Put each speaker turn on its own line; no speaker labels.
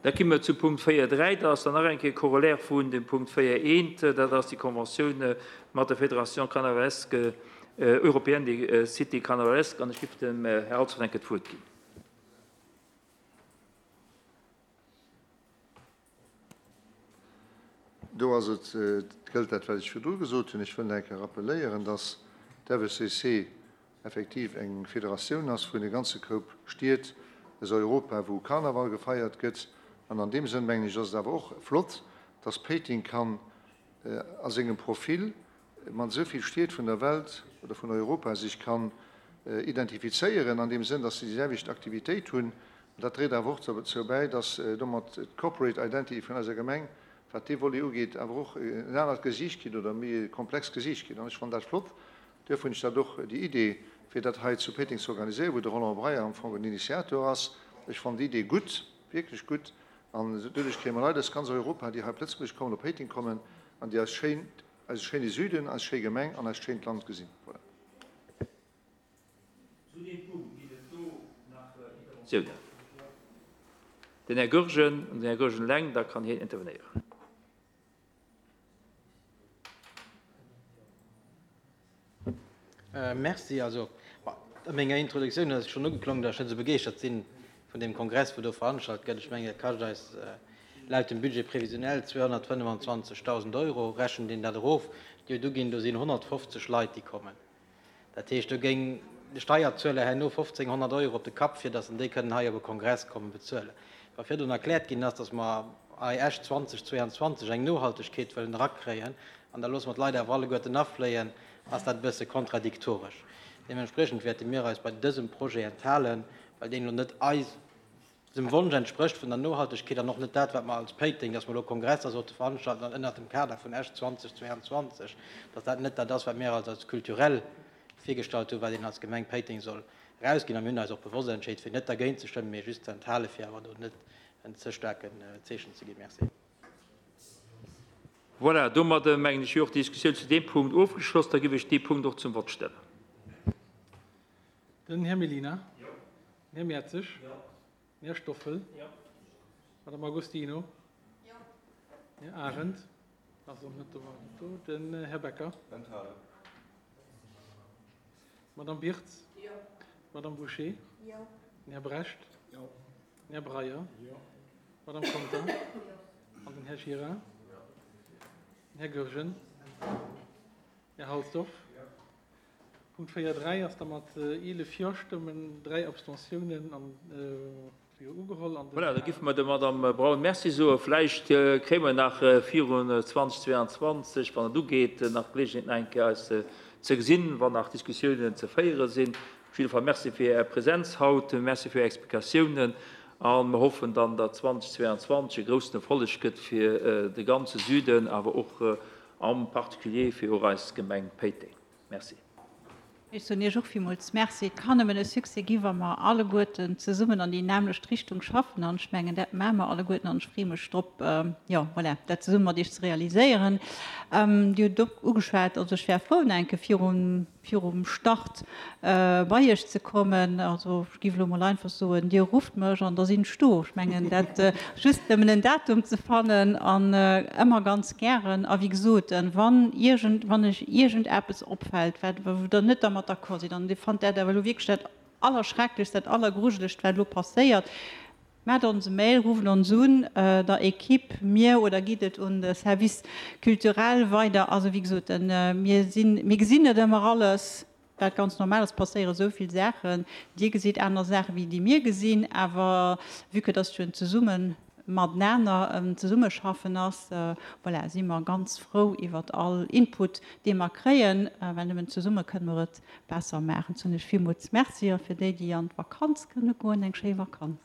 Da gi mer zu Punkt 4.3. Dat ass dann nach eng Kéier Corollaire vun dem Punkt 4.1. Dat ass déi Conventioun mat der Fédération carnavalesque européenne des cités carnavalesques. An ech géif dem Här Halsdorf eng Kéier d'Wuert ginn.
Do ass et, gëllt dat, wat ech virdru gesot hunn. Ech wëll nach eng Kéier rappeléieren, dass d'FECC effektiv eng Federatioun ass vun e ganze Koup Stied aus Europa, wou Karnaval gefeiert gëtt. An an deem Sënn, mengen ech, ass et awer och flott, dass Péiteng kann a sengem Profil mat esou vill Stied vun der Welt oder vun Europa sech kann identifizéieren, an deem Sënn, dass se déi selwecht Aktivitéit hunn. An dat dréit awer och dozou bäi, dass domat d'Corporate Identity vun eiser Gemeng, wat dee Volet ugeet, awer och en anert Gesiicht kritt oder e méi komplext Gesiicht kritt. An ech fannen dat flott. Duerfir hunn ech dat och, déi Idee, fir dat hei zu Péiteng ze organiséieren, wou de Roland Breyer am Fong den Initiator ass, ech fannen déi Idee gutt, wierklech gutt. An doduerch kréie mer Leit aus ganz Europa, déi hei op Lëtzebuerg kommen, op Péiteng kommen an déi eis schéin, eise schéine Süden, eis schéi Gemeng an eist schéint Land gesinn. Voilà.
Zu deem Punkt ginn et do nach Interventiounen. Den Här Goergen, an den Här Goergen eleng, da kann hien intervenéieren.
Merci. Also, a menger Introduktioun ass et schonn ugeklongen, datt ech net esou begeeschtert si vun deem Kongress, wou do veranstalt gëtt. Ech mengen, dat kascht eis laut dem Budget prévisionnel 225.000 Euro. Rechent een dat erof, déi huet uginn, do sinn 150 Leit, déi kommen. Dat heescht, do géing de Steierzueler herno 1.500 Euro op de Kapp, fir datt en déi kënnen hei op e Kongress kommen, bezuelen. Wa virdrun erkläert ginn ass, datt mer hei Esch 2022 eng Nohaltegkeet wëllen erakréien, an da loosse mer d'Leit awer alleguerten afléien, ass dat e bësse kontradiktoresch. Deementspriechend wäerte mir eis bei dësem Projet enthalen, well deen elo net eisem Wonsch entsprécht vun der Nohaltegkeet an och net dat, wat mer als Péiteng, dass mer elo Kongresser sollte veranstalten an ënnert dem Kader vun Esch 2022, dass dat net dat ass, wat mir eis als culturel virgestallt hunn, wat een als Gemeng Péiteng soll erausginn. A mir hunn eis och bewosst entscheet, fir net dergéint ze stëmmen, mee just ze enthalen, fir awer do net en ze staarken Zeechen ze ginn. Merci.
Voilà, domadder mengen ech wier och d'Diskussioun zu deem Punkt ofgeschloss. Da géif ech dee Punkt och zum Vott stellen.
Den Här Mellina. Jo. Den Här Mertzig. Jo. Den Här Stoffel. Jo. D'Madame Agostino. Jo. Den Här Arendt. Ass och net do, war net do. Den Här Becker. Enthalen. D'Madame Birtz. Jo. D'Madame Bouché. Jo. Den Här Brecht. Jo. Den Här Breyer. Jo. D'Madame Conter. Jo. An den Här Gira. Jo. Den Här Goergen. Här Halsdorf. Jo. Punkt 4, 3 ass da mat 11 Jo-Stëmmen, 3 Abstentiounen an jo ugeholl an den.
Voilà, da giffe mer der Madame Braun Merci soen. Vläicht kréie mer nach virun 2022, wann et ugeet, nach d'Geleegenheet, nach eng Kéier eis ze gesinn, wann nach Diskussiounen ze féiere sinn. Op jidde Fall Merci fir Är Präsenz haut, Merci fir Är Explikatiounen a mer hoffen dann, datt 2022 e groussen Erfolleg gëtt fir de ganze Süden, awer och am Particulier fir och eis Gemeng Péiteng. Merci.
Ech soen Iech och villmools Merci. Et kann nëmmen e Succès gi wa mer alleguerten zesummen an déi nämmlecht Richtung schaffen. An ech mengen, dat maache mer alleguerten an ech freeë mech drop, jo, voilà, dat zesumme mat Iech ze realiséieren. Dir hutt et och ugeschwat, also ech wär frou, nach eng Kéier virum virum Start bei Iech ze kommen. Also ech géif elo mol einfach soen, Dir rufft mech an da sinn ech do. Ech mengen dat just nëmmen en Datum ze fannen an ëmmer ganz gären. A wéi gesot, wann iergend, wann Iech iergendeppes opfält, wat, wou Der net dermat d'accord sidd an Dir fannt dat awer elo wierklech dat Allerschrecklechst, dat Allergrujelegst, wat elo passéiert, Maacht ons e Mail, rufft ons un, der Equipe, mir, oder gitt et un de Service culturel weider. Also wéi gesot, mir sinn, mir gesinn net ëmmer alles, wat ganz normal ass, passéiere sou vill Saachen. Dir gesitt aner Saachen, wéi déi mir gesinn, awer vue que dass jo en zesumme matenaner, en Zesummeschaffen ass, voilà, si mer ganz frou iwwert all Input, dee mer kréien, well nëmmen zesumme kënne mer et besser maachen. Soen ech villmools Merci a fir déi, déi an d'Vakanz kënne goen, eng schéi Vakanz.